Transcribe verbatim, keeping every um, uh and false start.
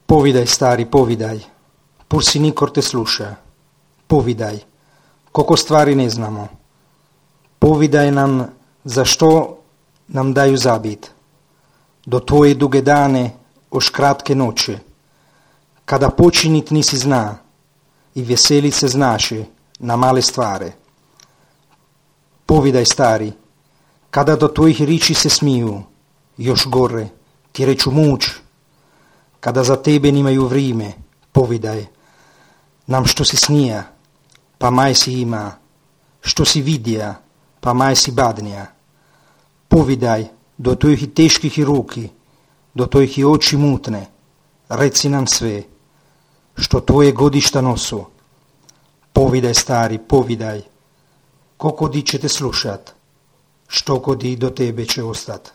Povidaj, stari, povidaj. Pur si nikor te sluša. Povidaj. Koliko stvari ne znamo. Povidaj nam zašto nam daju zabit. Do tvoje duge dane, oš kratke noće. Kada počinit nisi zna i veselit se znaše na male stvari. Povidaj, stari, kada do tvojih riči se smiju, još gore, ti reču muč, kada za tebe nimaju vrime, povidaj nam što si snija, pa maj si ima, što si vidija, pa maj si badnija. Povidaj do tvojih teških ruki, do tvojih oči mutne, reci nam sve, što tvoje godišta nosu. Povidaj, stari, povidaj, koliko di će te slušat, što kodi do tebe će ostat.